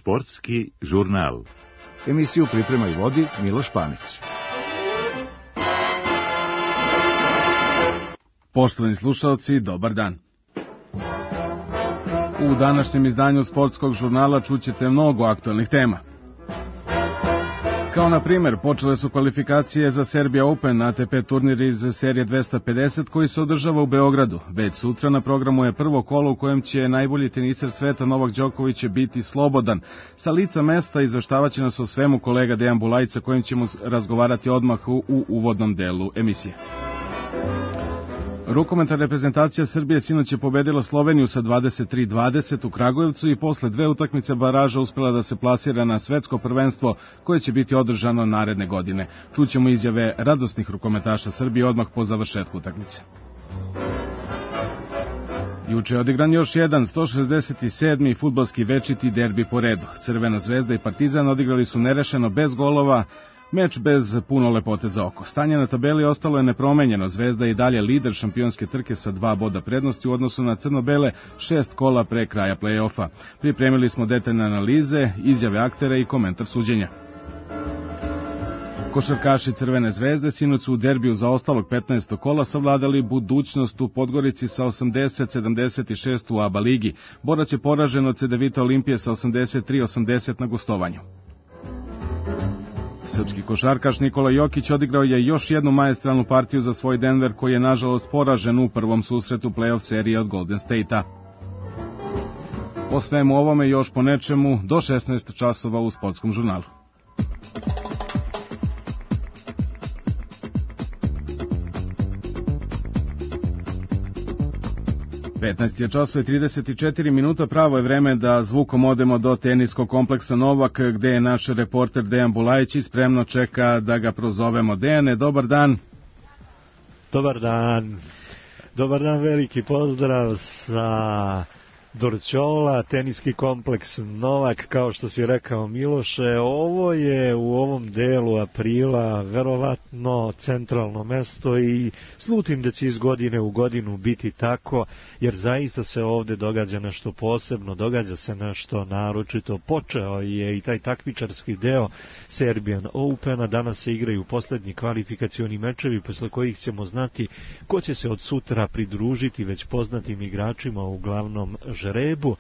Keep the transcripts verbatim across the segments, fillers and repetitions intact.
Sportski žurnal. Emisiju priprema i vodi Miloš Panić. Poštovani slušalci, dobar dan. U današnjem izdanju Sportskog žurnala čućete mnogo aktualnih tema. Kao na primjer, počele su kvalifikacije za Serbia Open A T P turnir iz serije dvesta pedeset koji se održava u Beogradu. Već sutra na programu je prvo kolo u kojem će najbolji teniser sveta Novak Đoković biti slobodan. Sa lica mesta izveštavaće nas o svemu kolega Dejan Bulajić, sa kojim ćemo razgovarati odmah u, u uvodnom delu emisije. Rukometna reprezentacija Srbije sinoć je pobedila Sloveniju sa dvadeset tri dvadeset u Kragujevcu i posle dve utakmice baraža uspela da se plasira na svetsko prvenstvo koje će biti održano naredne godine. Čućemo izjave radosnih rukometaša Srbije odmah po završetku utakmice. Juče je odigran još jedan sto šezdeset sedmi fudbalski večiti derbi po redu. Crvena zvezda i Partizan odigrali su nerešeno bez golova, meč bez puno lepote za oko. Stanje na tabeli ostalo je nepromenjeno. Zvezda je i dalje lider šampionske trke sa dva boda prednosti u odnosu na crno-bele šest kola pre kraja play-offa. Pripremili smo detaljne analize, izjave aktera i komentar suđenja. Košarkaši Crvene zvezde sinoć su u derbiju za ostalog petnaestog kola savladali budućnost u Podgorici sa osamdeset sedamdeset šest u A B A ligi. Borac je poražen od Cedevita Olimpije sa osamdeset tri osamdeset na gostovanju. Srpski košarkaš Nikola Jokić odigrao je još jednu maestralnu partiju za svoj Denver, koji je nažalost poražen u prvom susretu play-off serije od Golden State-a. Po svemu ovome još po nečemu do šesnaest časova u Sportskom žurnalu. petnaest je časova i trideset četiri minuta, pravo je vreme da zvukom odemo do teniskog kompleksa Novak, gde je naš reporter Dejan Bulajić i spremno čeka da ga prozovemo. Dejane, dobar dan. Dobar dan. Dobar dan, veliki pozdrav sa Dorćola, teniski kompleks Novak, kao što si rekao Miloše. Ovo je u ovom delu aprila verovatno centralno mesto i slutim da će iz godine u godinu biti tako, jer zaista se ovde događa nešto posebno, događa se nešto naročito. Počeo je i taj takmičarski deo Serbian Opena, danas se igraju poslednji kvalifikacioni mečevi, posle kojih ćemo znati ko će se od sutra pridružiti već poznatim igračima u glavnom žrebu.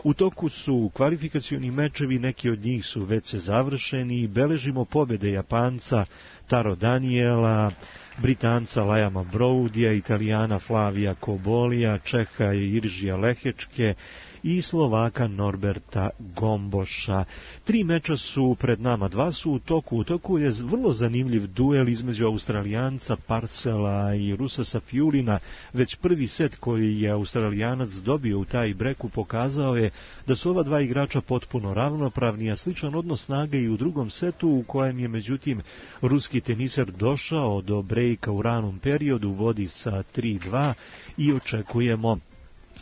U toku su kvalifikacioni mečevi, neki od njih su već završeni i beležimo pobjede Japanca Taro Daniela, Britanca Lajama Broudija, Italijana Flavija Kobolija, Čeha Iržija Lehečke i Slovaka Norberta Gomboša. Tri meča su pred nama, dva su u toku. U toku je vrlo zanimljiv duel između Australijanca Parcela i Rusa Safiulina. Već prvi set koji je Australijanac dobio u taj breku pokazao je da su ova dva igrača potpuno ravnopravni, a sličan odnos snage i u drugom setu, u kojem je međutim ruski teniser došao do brejka u ranom periodu, vodi sa tri dva i očekujemo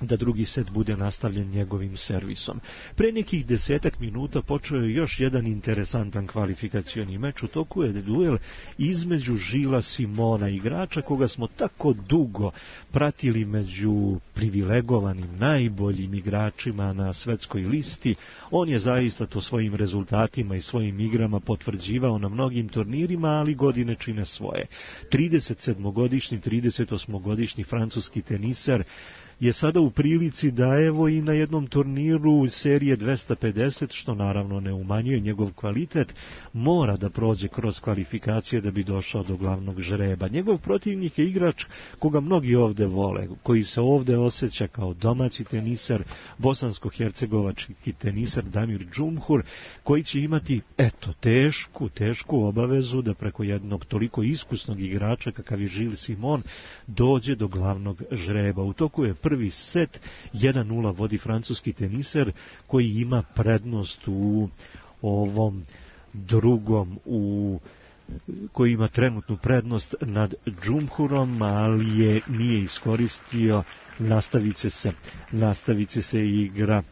da drugi set bude nastavljen njegovim servisom. Pre nekih desetak minuta počeo je još jedan interesantan kvalifikacioni meč. U toku je duel između Žila Simona, igrača koga smo tako dugo pratili među privilegovanim, najboljim igračima na svetskoj listi. On je zaista to svojim rezultatima i svojim igrama potvrđivao na mnogim turnirima, ali godine čine svoje. trideset sedmogodišnji, trideset osmogodišnji francuski teniser je sada u prilici da evo i na jednom turniru serije dvesta pedeset, što naravno ne umanjuje njegov kvalitet, mora da prođe kroz kvalifikacije da bi došao do glavnog žreba. Njegov protivnik je igrač koga mnogi ovde vole, koji se ovde osjeća kao domaći teniser, bosansko-hercegovački teniser Damir Džumhur, koji će imati, eto, tešku, tešku obavezu da preko jednog toliko iskusnog igrača kakav je Žil Simon dođe do glavnog žreba. U toku je prvi set, jedan nula vodi francuski teniser, koji ima prednost u ovom drugom, u koji ima trenutnu prednost nad Džumhurom, ali je nije iskoristio. Nastavit će se, nastavit će se igra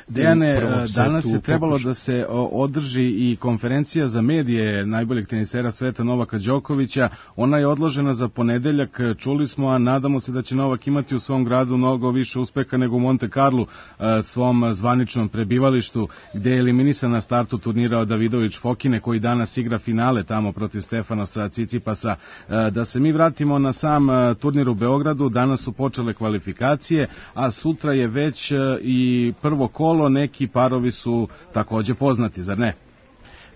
Dejane, danas je trebalo pokuša. da se održi i konferencija za medije najboljeg tenisera sveta Novaka Đokovića. Ona je odložena za ponedeljak, čuli smo, a nadamo se da će Novak imati u svom gradu mnogo više uspeha nego u Monte Carlu, svom zvaničnom prebivalištu, gde je eliminisan na startu turnira od Davidović Fokine, koji danas igra finale tamo protiv Stefanosa Cicipasa. Da se mi vratimo na sam turnir u Beogradu, danas su počele kvalifikacije, a sutra je već i prvo kolo. Neki parovi su takođe poznati, zar ne?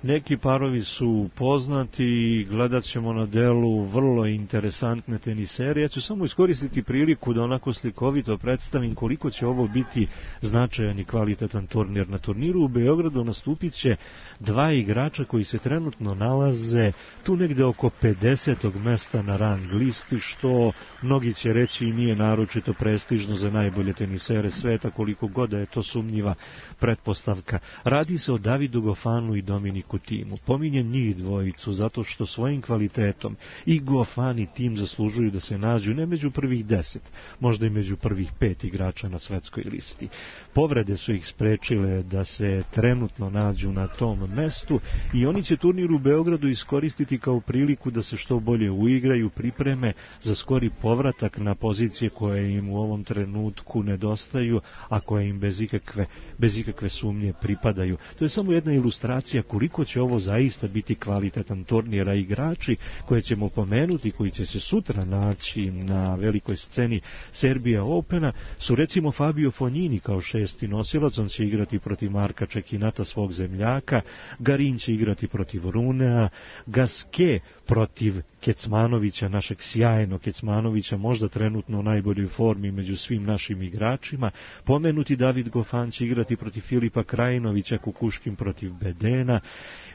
Neki parovi su poznati i gledat ćemo na delu vrlo interesantne tenisere. Ja ću samo iskoristiti priliku da onako slikovito predstavim koliko će ovo biti značajan i kvalitetan turnir. Na turniru u Beogradu nastupit će dva igrača koji se trenutno nalaze tu negde oko pedesetog mesta na rang listi, što mnogi će reći i nije naročito prestižno za najbolje tenisere sveta, koliko god da je to sumnjiva pretpostavka. Radi se o Davidu Gofanu i Dominiku Timu. Pominjem njih dvojicu zato što svojim kvalitetom i Gofan i Tim zaslužuju da se nađu ne među prvih deset, možda i među prvih pet igrača na svetskoj listi. Povrede su ih sprečile da se trenutno nađu na tom mestu i oni će turnir u Beogradu iskoristiti kao priliku da se što bolje uigraju, pripreme za skori povratak na pozicije koje im u ovom trenutku nedostaju, a koje im bez ikakve, bez ikakve sumnje pripadaju. To je samo jedna ilustracija koliko će ovo zaista biti kvalitetan turnir, a igrači koje ćemo pomenuti, koji će se sutra naći na velikoj sceni Serbia Opena, su recimo Fabio Fognini kao šesti nosilac, on će igrati protiv Marka Čekinata, svog zemljaka, Garin će igrati protiv Runea, Gasquet protiv Kecmanovića, našeg sjajnog Kecmanovića, možda trenutno u najboljoj formi među svim našim igračima. Pomenuti David Gofan će igrati protiv Filipa Krajinovića, Kukuškin protiv Bedena.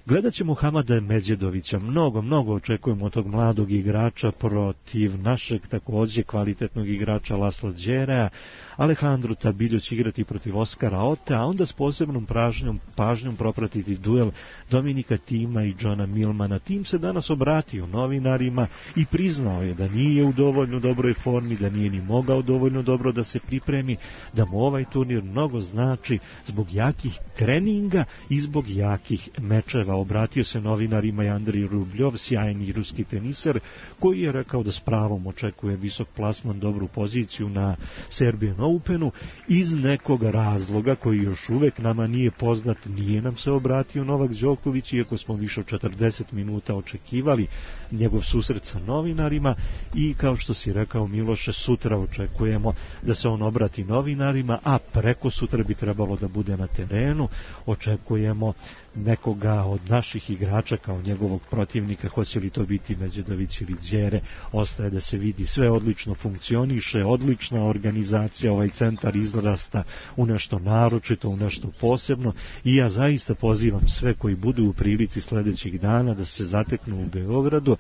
Gledat ćemo Hamada Međedovića, mnogo, mnogo očekujemo od tog mladog igrača protiv našeg takođe kvalitetnog igrača Lasla Đerea. Alejandro Tabiljo će igrati protiv Oskara Ote, a onda s posebnom pažnjom, pažnjom propratiti duel Dominika Tima i Johna Milmana. Tim se danas obratio novinarima i priznao je da nije u dovoljno dobroj formi, da nije ni mogao dovoljno dobro da se pripremi, da mu ovaj turnir mnogo znači zbog jakih treninga i zbog jakih mečeva. Obratio se novinarima i Andrij Rubljov, sjajni ruski teniser, koji je rekao da s pravom očekuje visok plasman, dobru poziciju na Serbian Openu. Iz nekog razloga koji još uvek nama nije poznat, nije nam se obratio Novak Đoković, iako smo više od četrdeset minuta očekivali njegov susret sa novinarima i kao što si rekao Miloše, sutra očekujemo da se on obrati novinarima, a preko sutra bi trebalo da bude na terenu. Očekujemo nekoga od naših igrača kao njegovog protivnika, hoće li to biti Međedović ili Đere, ostaje da se vidi. Sve odlično funkcioniše, odlična organizacija, ovaj centar izrasta u nešto naročito, u nešto posebno i ja zaista pozivam sve koji budu u prilici sledećih dana da se zateknu u Beogradu,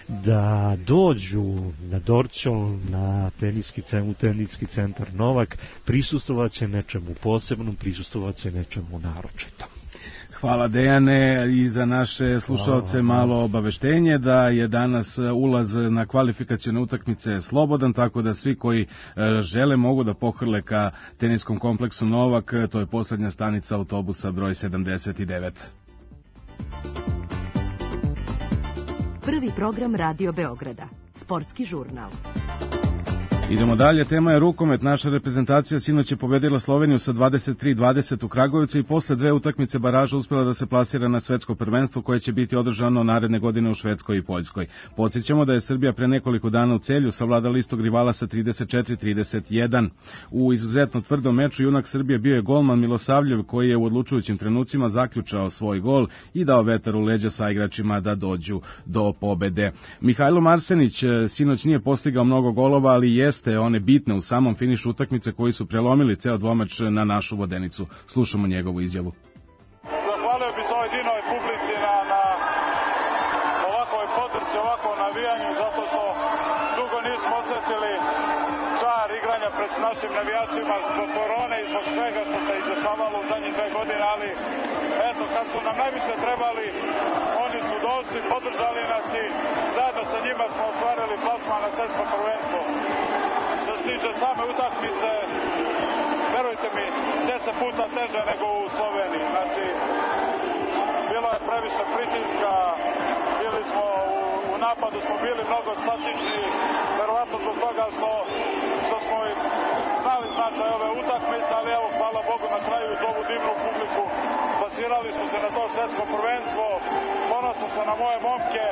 da dođu na Dorćol, na teniski, u teniski centar Novak, prisustovat će nečemu posebnom, prisustovat će nečemu naročitom. Hvala Dejane, i za naše slušalce malo obaveštenje da je danas ulaz na kvalifikacione utakmice slobodan, tako da svi koji žele mogu da pohrle ka teniskom kompleksu Novak, to je poslednja stanica autobusa broj sedamdeset devet. Prvi program Radio Beograda, sportski žurnal. Idemo dalje, tema je rukomet. Naša reprezentacija sinoć je pobedila Sloveniju sa dvadeset tri dvadeset u Kragujevcu i posle dve utakmice baraža uspela da se plasira na svetsko prvenstvo koje će biti održano naredne godine u Švedskoj i Poljskoj. Podsjećamo da je Srbija pre nekoliko dana u Celju savladala istog rivala sa trideset četiri trideset jedan. U izuzetno tvrdom meču junak Srbije bio je golman Milosavljev, koji je u odlučujućim trenucima zaključao svoj gol i dao vetar u leđa sa igračima da dođu do pobede. Mihajlo Marsenić sinoć nije postigao mnogo golova, ali je te one bitne u samom finišu utakmice koji su prelomili ceo dvomeč na našu vodenicu. Slušamo njegovu izjavu. Zahvalio bi se ovoj dinovoj publici na, na ovakvoj podršci, ovakvom navijanju, zato što dugo nismo osjetili čar igranja pred našim navijačima zbog korone i zbog svega što se izdešavalo u zadnjih dve godine, ali eto, kad su nam najviše trebali, oni su došli, podržali nas i zajedno sa njima smo ostvarili plasman na svetsko prvenstvo. Što se tiče same utakmice, verujte mi, deset puta teže nego u Sloveniji. Znači, bilo je previše pritiska, bili smo u, u napadu, smo bili mnogo statični, verovatno zbog toga što, što smo i znali značaj ove utakmice, ali evo, hvala Bogu, na kraju uz ovu divnu publiku plasirali smo se na to svetsko prvenstvo. Ponosan sam na moje momke,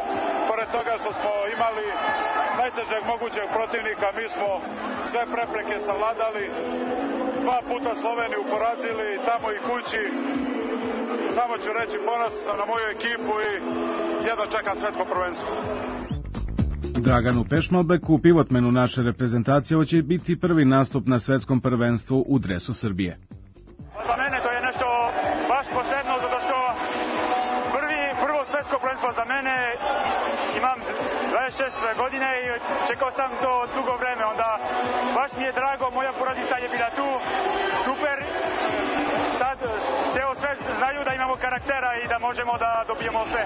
pored toga što smo imali najtežeg mogućeg protivnika, mi smo sve prepreke savladali, dva puta Sloveniju porazili, tamo i kući. Samo ću reći, ponosan sam na moju ekipu i jedva čekam svetsko prvenstvo. Draganu Pešmalbeku, pivotmenu naše reprezentacije, ovo će biti prvi nastup na svetskom prvenstvu u dresu Srbije. Za mene to je nešto baš posebno, zato što prvi, prvo svetsko prvenstvo za mene, imam dvadeset šest godine i čekao sam to dugo vreme, onda baš mi je drago, moja porodica je bila tu, super, sad ceo svet znaju da imamo karaktera i da možemo da dobijemo sve.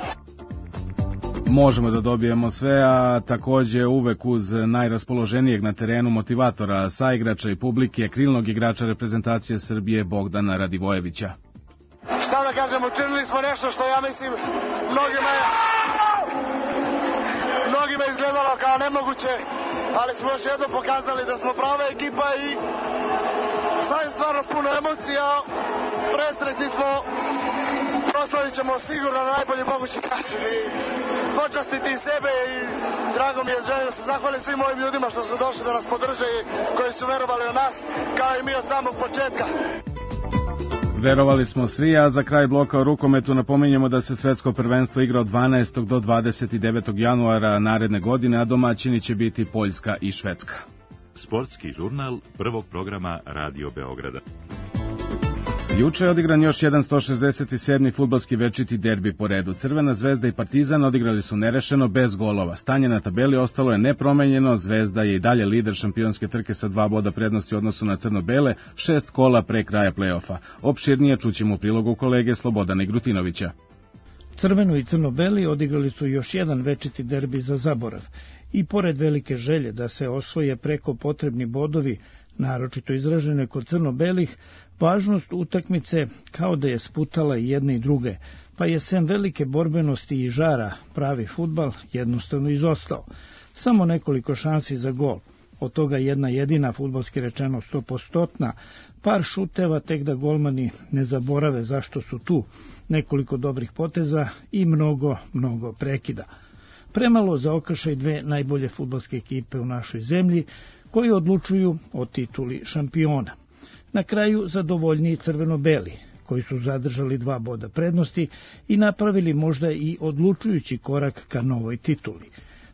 Možemo da dobijemo sve, a takođe uvek uz najraspoloženijeg na terenu motivatora, saigrača i publike, krilnog igrača reprezentacije Srbije Bogdana Radivojevića. Šta da kažem, učinili smo nešto što ja mislim mnogima je, mnogima je izgledalo kao nemoguće, ali smo još jednom pokazali da smo prava ekipa i sad je stvarno puno emocija, presretni smo, proslavit ćemo sigurno na najbolji mogući način i počastiti sebe i drago mi je, želim da se zahvalim svim ovim ljudima što su došli da nas podrže i koji su verovali u nas, kao i mi od samog početka. Verovali smo svi, a za kraj bloka o rukometu napominjemo da se svetsko prvenstvo igra od dvanaestog do dvadeset devetog januara naredne godine, a domaćini će biti Poljska i Švedska. Sportski žurnal prvog programa Radio Beograda. Juče je odigran još jedan sto šezdeset sedmi fudbalski večiti derbi po redu. Crvena zvezda i Partizan odigrali su nerešeno bez golova. Stanje na tabeli ostalo je nepromenjeno, Zvezda je i dalje lider šampionske trke sa dva boda prednosti u odnosu na crno-bele, šest kola pre kraja plej-ofa. Opširnije čućemo u prilogu kolege Slobodana Igrutinovića. Crveno i crno-beli odigrali su još jedan večiti derbi za zaborav. I pored velike želje da se osvoje preko potrebni bodovi, naročito izražene kod crno-belih, važnost utakmice kao da je sputala i jedne i druge, pa je sem velike borbenosti i žara pravi fudbal jednostavno izostao. Samo nekoliko šansi za gol, od toga jedna jedina fudbalski rečeno stopostotna, par šuteva tek da golmani ne zaborave zašto su tu, nekoliko dobrih poteza i mnogo, mnogo prekida. Premalo za okršaj dve najbolje fudbalske ekipe u našoj zemlji, koji odlučuju o tituli šampiona. Na kraju zadovoljniji crveno-beli, koji su zadržali dva boda prednosti i napravili možda i odlučujući korak ka novoj tituli.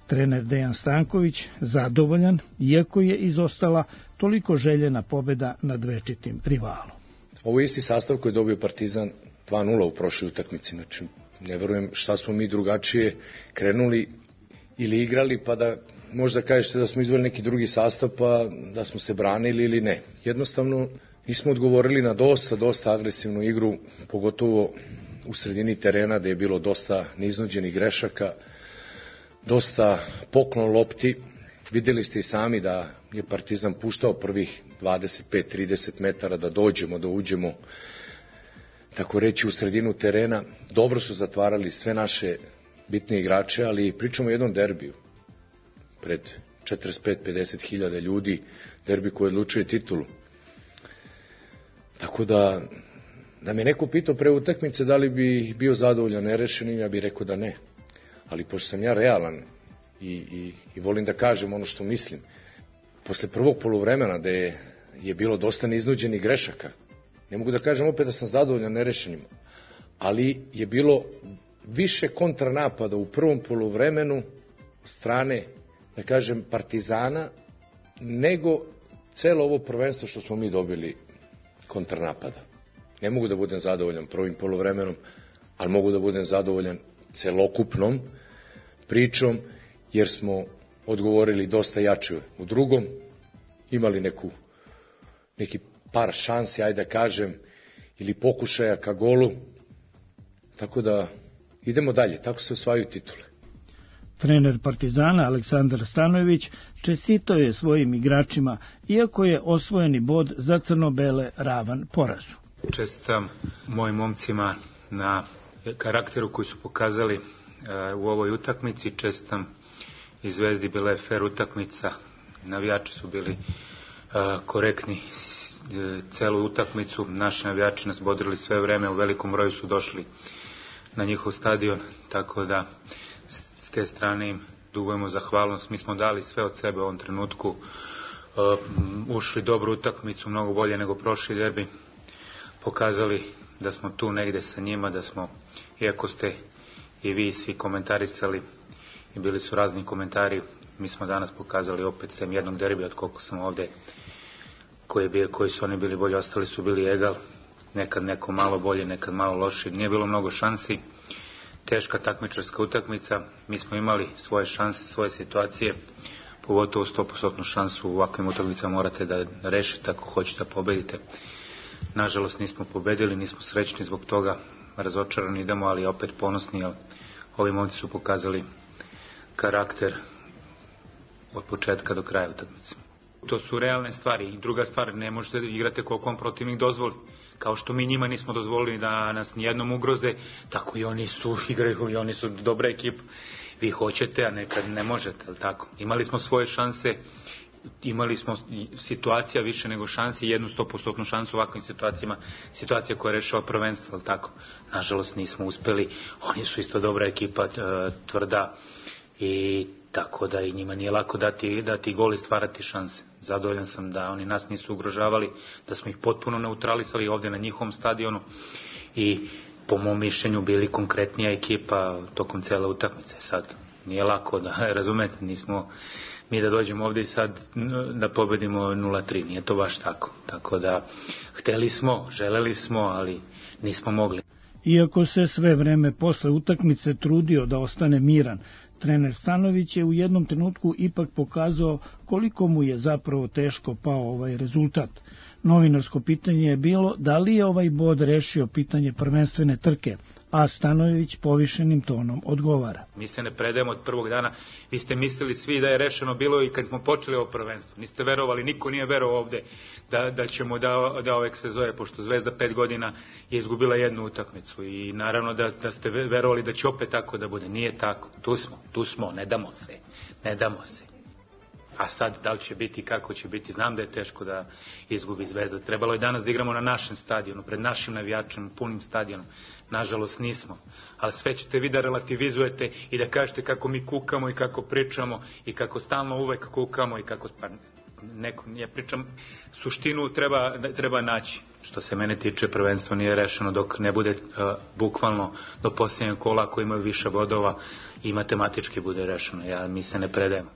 Trener Dejan Stanković zadovoljan, iako je izostala toliko željena pobeda nad večitim rivalom. Ovo je isti sastav koji je dobio Partizan dva nula u prošloj utakmici, znači ne verujem šta smo mi drugačije krenuli ili igrali pa da možda kažete da smo izveli neki drugi sastav pa da smo se branili ili ne. Jednostavno nismo odgovorili na dosta, dosta agresivnu igru, pogotovo u sredini terena gde je bilo dosta neiznuđenih grešaka, dosta poklon lopti. Videli ste i sami da je Partizan puštao prvih dvadeset pet trideset metara da dođemo, da uđemo, tako reći, u sredinu terena. Dobro su zatvarali sve naše bitne igrače, ali pričamo o jednom derbiju pred četrdeset pet do pedeset hiljada ljudi, derbi koji odlučuje titulu. Tako da, da me neko pitao pre utakmice da li bi bio zadovoljan nerešenim, ja bih rekao da ne. Ali pošto sam ja realan i, i, i volim da kažem ono što mislim, posle prvog poluvremena da je, je bilo dosta neiznuđenih grešaka, ne mogu da kažem opet da sam zadovoljan nerešenim, ali je bilo više kontranapada u prvom poluvremenu od strane, da kažem, Partizana, nego celo ovo prvenstvo što smo mi dobili kontranapada. Ne mogu da budem zadovoljan prvim poluvremenom, ali mogu da budem zadovoljan celokupnom pričom, jer smo odgovorili dosta jače u drugom, imali neku, neki par šansi, ajde da kažem, ili pokušaja ka golu, tako da idemo dalje, tako se osvajaju titule. Trener Partizana Aleksandar Stanojević čestitao je svojim igračima, iako je osvojeni bod za crno-bele ravan porazu. Čestitam mojim momcima na karakteru koji su pokazali u ovoj utakmici. Čestitam i Zvezdi, bila je fer utakmica, navijači su bili korektni celu utakmicu, naši navijači nas bodrili sve vreme, u velikom broju su došli na njihov stadion, tako da s te strane im dugujemo zahvalnost. Mi smo dali sve od sebe u ovom trenutku, ušli dobru utakmicu, mnogo bolje nego prošli derbi, pokazali da smo tu negde sa njima, da smo, iako ste i vi svi komentarisali i bili su razni komentari, mi smo danas pokazali opet sem jednog derbija od koliko sam ovde, koji, bio, koji su oni bili bolji, ostali su bili egal, nekad neko malo bolje, nekad malo loši, nije bilo mnogo šansi, teška takmičarska utakmica, mi smo imali svoje šanse, svoje situacije, pogotovo sto posto šansu u ovakvim utakmicama morate da rešite ako hoćete da pobedite. Nažalost nismo pobedili, nismo srećni zbog toga, razočarani idemo, ali opet ponosni, jer ovi momci su pokazali karakter od početka do kraja utakmice. To su realne stvari. I druga stvar, ne možete da igrate koliko vam protivnik dozvoli. Kao što mi njima nismo dozvolili da nas nijednom ugroze, tako i oni su igraju i oni su dobra ekipa. Vi hoćete, a nekad ne možete, ali tako. Imali smo svoje šanse, imali smo situacija više nego šanse, jednu sto posto šansu u ovakvim situacijama, situacija koja rešava prvenstvo, ali tako. Nažalost nismo uspeli, oni su isto dobra ekipa, tvrda, i tako da i njima nije lako dati, dati gol i stvarati šanse. Zadovoljan sam da oni nas nisu ugrožavali, da smo ih potpuno neutralisali ovdje na njihovom stadionu i po mom mišljenju bili konkretnija ekipa tokom cele utakmice. Sad nije lako da razumete, nismo mi da dođemo ovdje i sad da pobedimo nula tri, nije to baš tako. Tako da hteli smo, želeli smo, ali nismo mogli. Iako se sve vreme posle utakmice trudio da ostane miran, trener Stanović je u jednom trenutku ipak pokazao koliko mu je zapravo teško pao ovaj rezultat. Novinarsko pitanje je bilo da li je ovaj bod rešio pitanje prvenstvene trke, a Stanojević povišenim tonom odgovara. Mi se ne predajemo od prvog dana, vi ste mislili svi da je rešeno bilo i kad smo počeli ovo prvenstvo. Niste verovali, niko nije verovao ovde da, da ćemo da, da ovek se zove, pošto Zvezda pet godina je izgubila jednu utakmicu i naravno da, da ste verovali da će opet tako da bude. Nije tako, tu smo, tu smo, ne damo se, ne damo se. A sad, da li će biti, kako će biti, znam da je teško da izgubi Zvezda. Trebalo je danas da igramo na našem stadionu, pred našim navijačem, punim stadionom. Nažalost nismo. Ali sve ćete vi da relativizujete i da kažete kako mi kukamo i kako pričamo i kako stalno uvek kukamo i kako... Pa, neko, ja pričam, suštinu treba, treba naći. Što se mene tiče, prvenstvo nije rešeno dok ne bude uh, bukvalno do posljednjeg kola, ako imaju više bodova i matematički bude rešeno. Ja, mi se ne predajemo.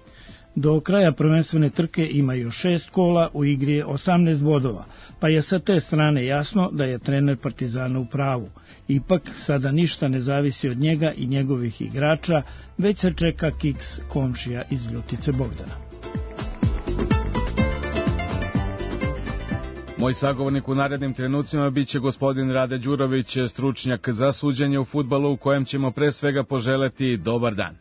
Do kraja prvenstvene trke ima još šest kola, u igri je osamnaest bodova, pa je sa te strane jasno da je trener Partizana u pravu. Ipak, sada ništa ne zavisi od njega i njegovih igrača, već se čeka kiks komšija iz Ljutice Bogdana. Moj sagovornik u narednim trenucima biće gospodin Rade Đurović, stručnjak za suđenje u fudbalu, u kojem ćemo pre svega poželeti dobar dan.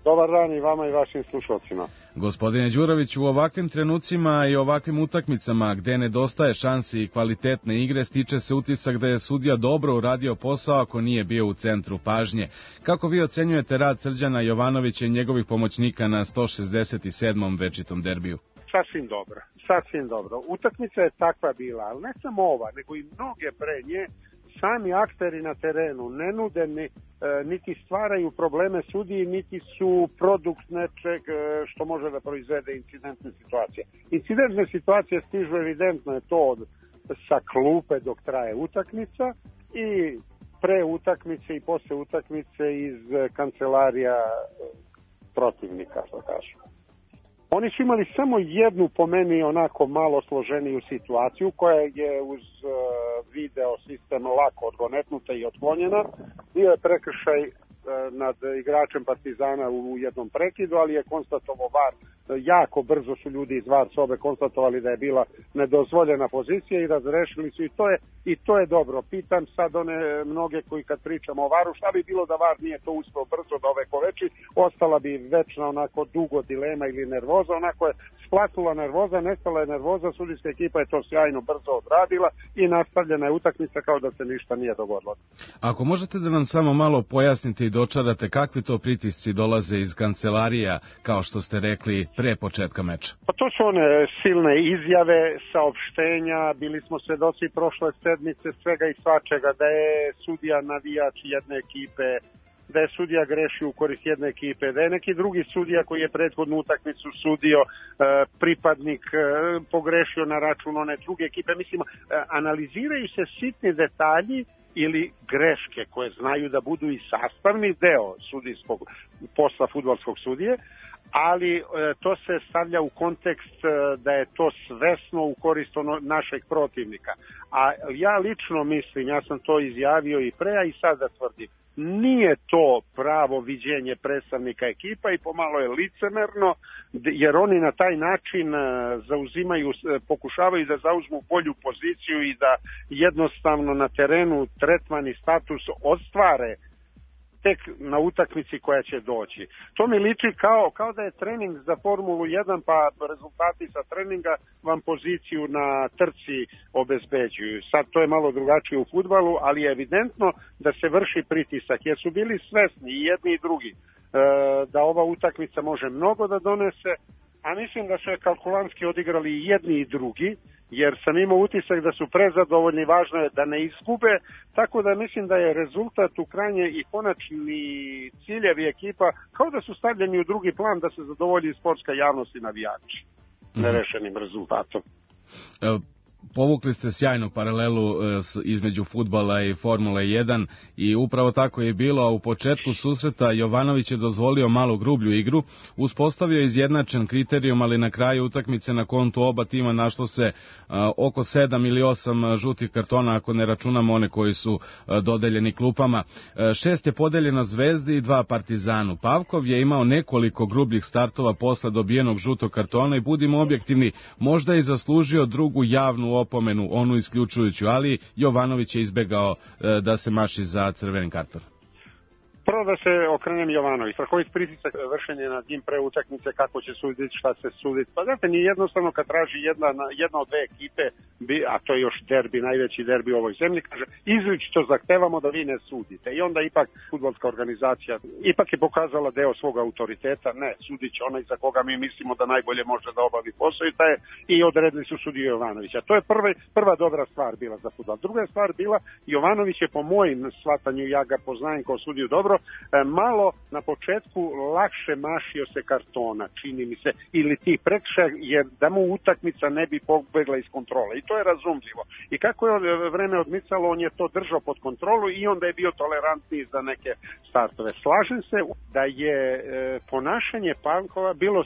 Dobar dan i vama i vašim slušalcima. Gospodine Đurović, u ovakvim trenucima i ovakvim utakmicama gde nedostaje šansi i kvalitetne igre, stiče se utisak da je sudija dobro uradio posao ako nije bio u centru pažnje. Kako vi ocenjujete rad Srđana Jovanovića i njegovih pomoćnika na sto šezdeset sedmom večitom derbiju? Sasvim dobro, sasvim dobro. Utakmica je takva bila, ali ne samo ova, nego i mnoge pre nje. Sami akteri na terenu ne nude ni, e, niti stvaraju probleme sudiji, niti su produkt nečeg e, što može da proizvede incidentne situacije. Incidentne situacije stižu, evidentno je to od, sa klupe dok traje utakmica i pre utakmice i posle utakmice iz kancelarija protivnika, što kažu. Oni su imali samo jednu, po meni, onako malo složeniju situaciju, koja je uz uh, video sistem lako odgonetnuta i otklonjena. Bio je prekršaj uh, nad igračem Partizana u jednom prekidu, ali je konstatovao V A R jako brzo su ljudi iz VAR sobe konstatovali da je bila nedozvoljena pozicija i razrešili su i to je, i to je dobro. Pitam sad one mnoge koji kad pričamo o VAR-u, šta bi bilo da VAR nije to uspeo brzo da ove koveči, ostala bi večna onako dugo dilema ili nervoza, onako je splatnula nervoza, nestala je nervoza, sudijska ekipa je to sjajno brzo odradila i nastavljena je utakmica kao da se ništa nije dogodilo. Ako možete da nam samo malo pojasnite i dočarate kakvi to pritisci dolaze iz kancelarija, kao što ste rekli, pre početka meča? Pa to su one silne izjave, saopštenja, bili smo svedoci prošle sedmice svega i svačega, da je sudija navijač jedne ekipe, da je sudija greši u korist jedne ekipe, da je neki drugi sudija koji je prethodnu utakmicu sudio, pripadnik pogrešio na račun one druge ekipe. Mislim, analiziraju se sitni detalji ili greške koje znaju da budu i sastavni deo sudijskog posla fudbalskog sudije, ali to se stavlja u kontekst da je to svesno u korist ono našeg protivnika. A ja lično mislim, ja sam to izjavio i pre, a i sada tvrdim, nije to pravo viđenje predstavnika ekipa i pomalo je licemerno, jer oni na taj način zauzimaju, pokušavaju da zauzmu bolju poziciju i da jednostavno na terenu tretman i status ostvare tek na utakmici koja će doći. To mi liči kao, kao da je trening za Formulu jedan, pa rezultati sa treninga vam poziciju na trci obezbeđuju. Sad to je malo drugačije u fudbalu, ali je evidentno da se vrši pritisak, jer su bili svesni i jedni i drugi da ova utakmica može mnogo da donese, a mislim da su je kalkulantski odigrali i jedni i drugi, jer sam imao utisak da su prezadovoljni, važno je da ne izgube, tako da mislim da je rezultat u krajnje i konačni ciljevi ekipa kao da su stavljeni u drugi plan da se zadovolji sportska javnost i navijači nerešenim rezultatom. Povukli ste sjajnu paralelu između fudbala i Formule jedan i upravo tako je bilo, a u početku susreta Jovanović je dozvolio malo grublju igru, uspostavio izjednačen kriterijum, ali na kraju utakmice na kontu oba tima našlo se oko sedam ili osam žutih kartona, ako ne računamo one koji su dodeljeni klupama. Šest je podeljeno Zvezdi i dva Partizanu. Pavkov je imao nekoliko grubljih startova posle dobijenog žutog kartona i budimo objektivni, možda je zaslužio drugu javnu opomenu, onu isključujuću, ali Jovanović je izbegao e, da se maši za crveni karton. Prvo da se okrenem Jovanović, strahovit pritisak vršenje nad njim pre utakmice, kako će suditi, šta se suditi. Pa znate, nije jednostavno kad traži jedna, jedna od dve ekipe, a to je još derbi, najveći derbi u ovoj zemlji, kaže, izričito zahtevamo da vi ne sudite. I onda ipak fudbalska organizacija ipak je pokazala deo svog autoriteta, ne, sudit će onaj za koga mi mislimo da najbolje može da obavi posao i taj, i odredili su sudiju Jovanovića. To je prva, prva dobra stvar bila za fudbal. Druga stvar bila, Jovanović je po mojim shvatanju, ja ga poznajem kao sudiju dobro, malo na početku lakše mašio se kartona, čini mi se, ili ti prekršaja, jer da mu utakmica ne bi pobegla iz kontrole. I to je razumljivo. I kako je vreme odmicalo, on je to držao pod kontrolu i onda je bio tolerantniji za neke startove. Slažem se da je e, ponašanje Pavkova bilo,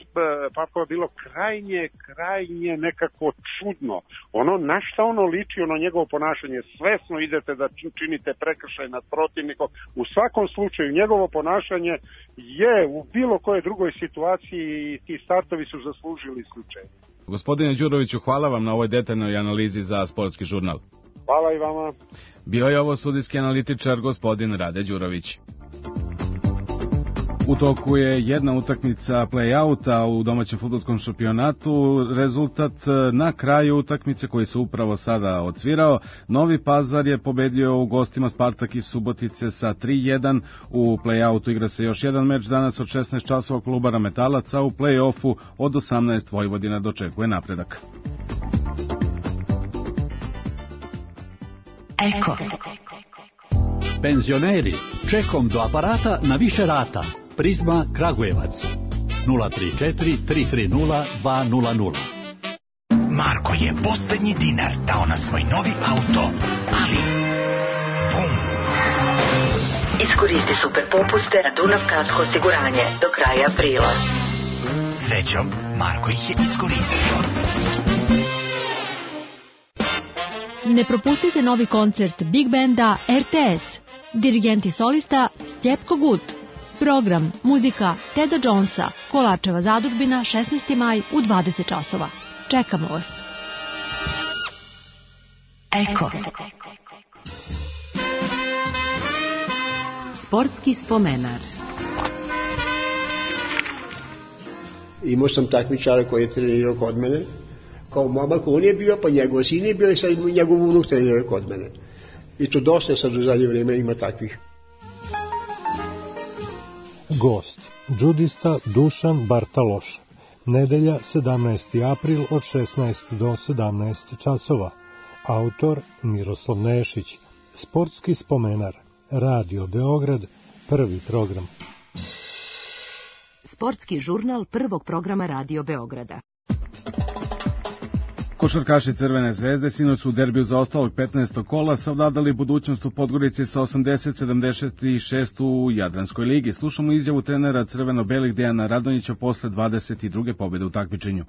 Pavkova bilo krajnje, krajnje nekako čudno. Ono, na šta ono liči, ono njegovo ponašanje, svesno idete da činite prekršaj nad protivnikom. U svakom slučaju, njegovo ponašanje je u bilo kojoj drugoj situaciji i ti startovi su zaslužili isključenje. Gospodine Đuroviću, hvala vam na ovoj detaljnoj analizi za Sportski žurnal. Hvala i vama. Bio je ovo sudijski analitičar gospodin Rade Đurović. U toku je jedna utakmica play-outa u domaćem fudbalskom šampionatu. Rezultat na kraju utakmice koji se upravo sada odsvirao. Novi Pazar je pobedio u gostima Spartak iz Subotice sa tri jedan. U play-outu igra se još jedan meč danas od šesnaest časova Kolubara Metalac, a u play-offu od osamnaest Vojvodina dočekuje napredak. Eko. Penzioneri, čekom do aparata na više rata. Prizma Kragujevac nula tri četiri tri tri nula dva nula nula. Marko je posljednji dinar dao na svoj novi auto, ali bum. Iskoristi super popuste na Dunav Kasko osiguranje do kraja aprila. Srećom, Marko ih je iskoristio. Ne propustite novi koncert Big Banda R T S. Dirigent i solista Stjepko Gut. Program, muzika Teda Jonesa, Kolačeva zadužbina, šesnaesti maj u dvadeset časova. Čekamo vas. Eko. Sportski spomenar. Imao sam takmičara koji je trenirao kod mene. Kao momak on je bio, pa njegov sin je bio i sad njegov unuk trenirao kod mene. I to dosta sad u zadnje vrijeme ima takvih. Gost, džudista Dušan Bartaloš. Nedelja sedamnaesti april od šesnaest do sedamnaest časova. Autor Miroslav Nešić. Sportski spomenar. Radio Beograd, prvi program. Sportski žurnal prvog programa Radio Beograda. Košarkaši Crvene zvezde sinoć su u derbiju za ostalog petnaestog kola savladali budućnost u Podgorici sa osamdeset sedamdeset šest u Jadranskoj ligi. Slušamo izjavu trenera crveno-belih Dejana Radonjića posle dvadeset druge pobjede u takmičenju.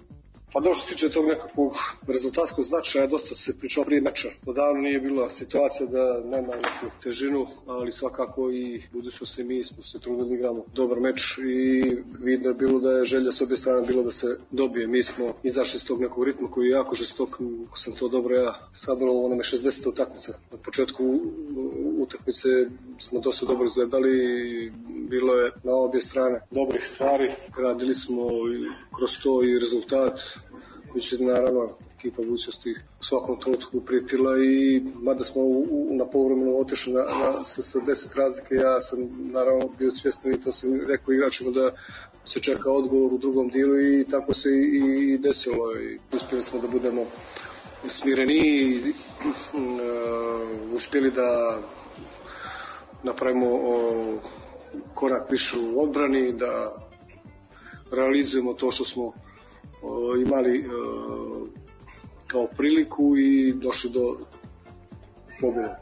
Pa dobro što se tiče tog nekakvog rezultatskog značaja, dosta se pričao prije meča. Odavno nije bila situacija da nema neku težinu, ali svakako i budućno se mi smo se trudili igramo dobar meč i vidno je bilo da je želja s obje strane bilo da se dobije. Mi smo izašli iz tog nekog ritma koji je jako žestok, ako sam to dobro ja sabrao, onome šezdeset utakmica. Na početku utakmice smo dosta dobro izgledali, bilo je na obje strane dobrih stvari, radili smo kroz to i rezultat. Mislim, naravno, ekipa budućnosti u svakom trenutku prijetila i mada smo u, u, na povremenu otišli na, na, sa, sa deset razlike, ja sam naravno bio svjestan i to sam rekao igračima da se čeka odgovor u drugom dijelu i tako se i, i desilo. I uspjeli smo da budemo smireni i uh, uspjeli da napravimo uh, korak više u odbrani, da realizujemo to što smo imali uh, kao priliku i došli do pobjede.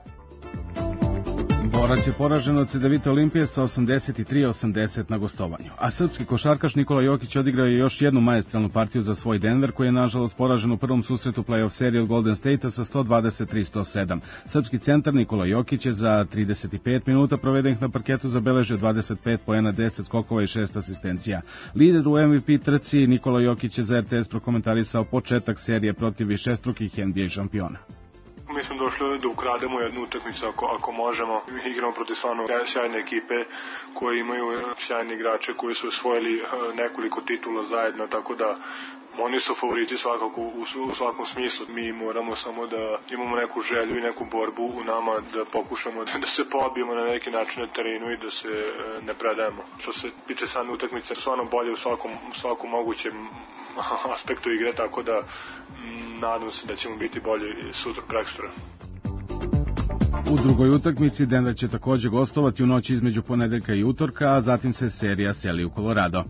Borac je poražen od Cedevite Olimpije sa osamdeset tri osamdeset na gostovanju. A srpski košarkaš Nikola Jokić odigrao je još jednu maestralnu partiju za svoj Denver, koji je nažalost poražen u prvom susretu play-off serije od Golden State-a sa sto dvadeset tri sto sedam. Srpski centar Nikola Jokić je za trideset pet minuta provedenih na parketu zabeležio dvadeset pet poena, deset skokova i šest asistencija. Lider u M V P trci Nikola Jokić je za R T S prokomentarisao početak serije protiv višestrukih N B A šampiona. Mislim došlo je da ukrademo jednu utakmicu ako, ako možemo. Igramo protiv stvarno sjajne ekipe koje imaju sjajni igrače koji su osvojili nekoliko titula zajedno, tako da oni su favoriti svakako u, u svakom smislu. Mi moramo samo da imamo neku želju i neku borbu u nama da pokušamo da, da se pobijemo na neki način na terenu i da se ne predajemo. Što se tiče same utakmice, stvarno bolje u svakom, svakom mogućem aspektu igre, tako da nadam se da ćemo biti bolji sutra prekstra. U drugoj utakmici Denver će također gostovati u noći između ponedeljka i utorka, a zatim se serija seli u Colorado.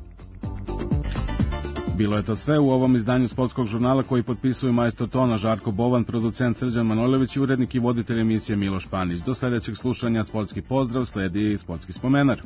Bilo je to sve u ovom izdanju sportskog žurnala koji potpisuju majstor tona Žarko Bovan, producent Srđan Manojlović i urednik i voditelj emisije Miloš Panić. Do sljedećeg slušanja sportski pozdrav, sledi sportski spomenar.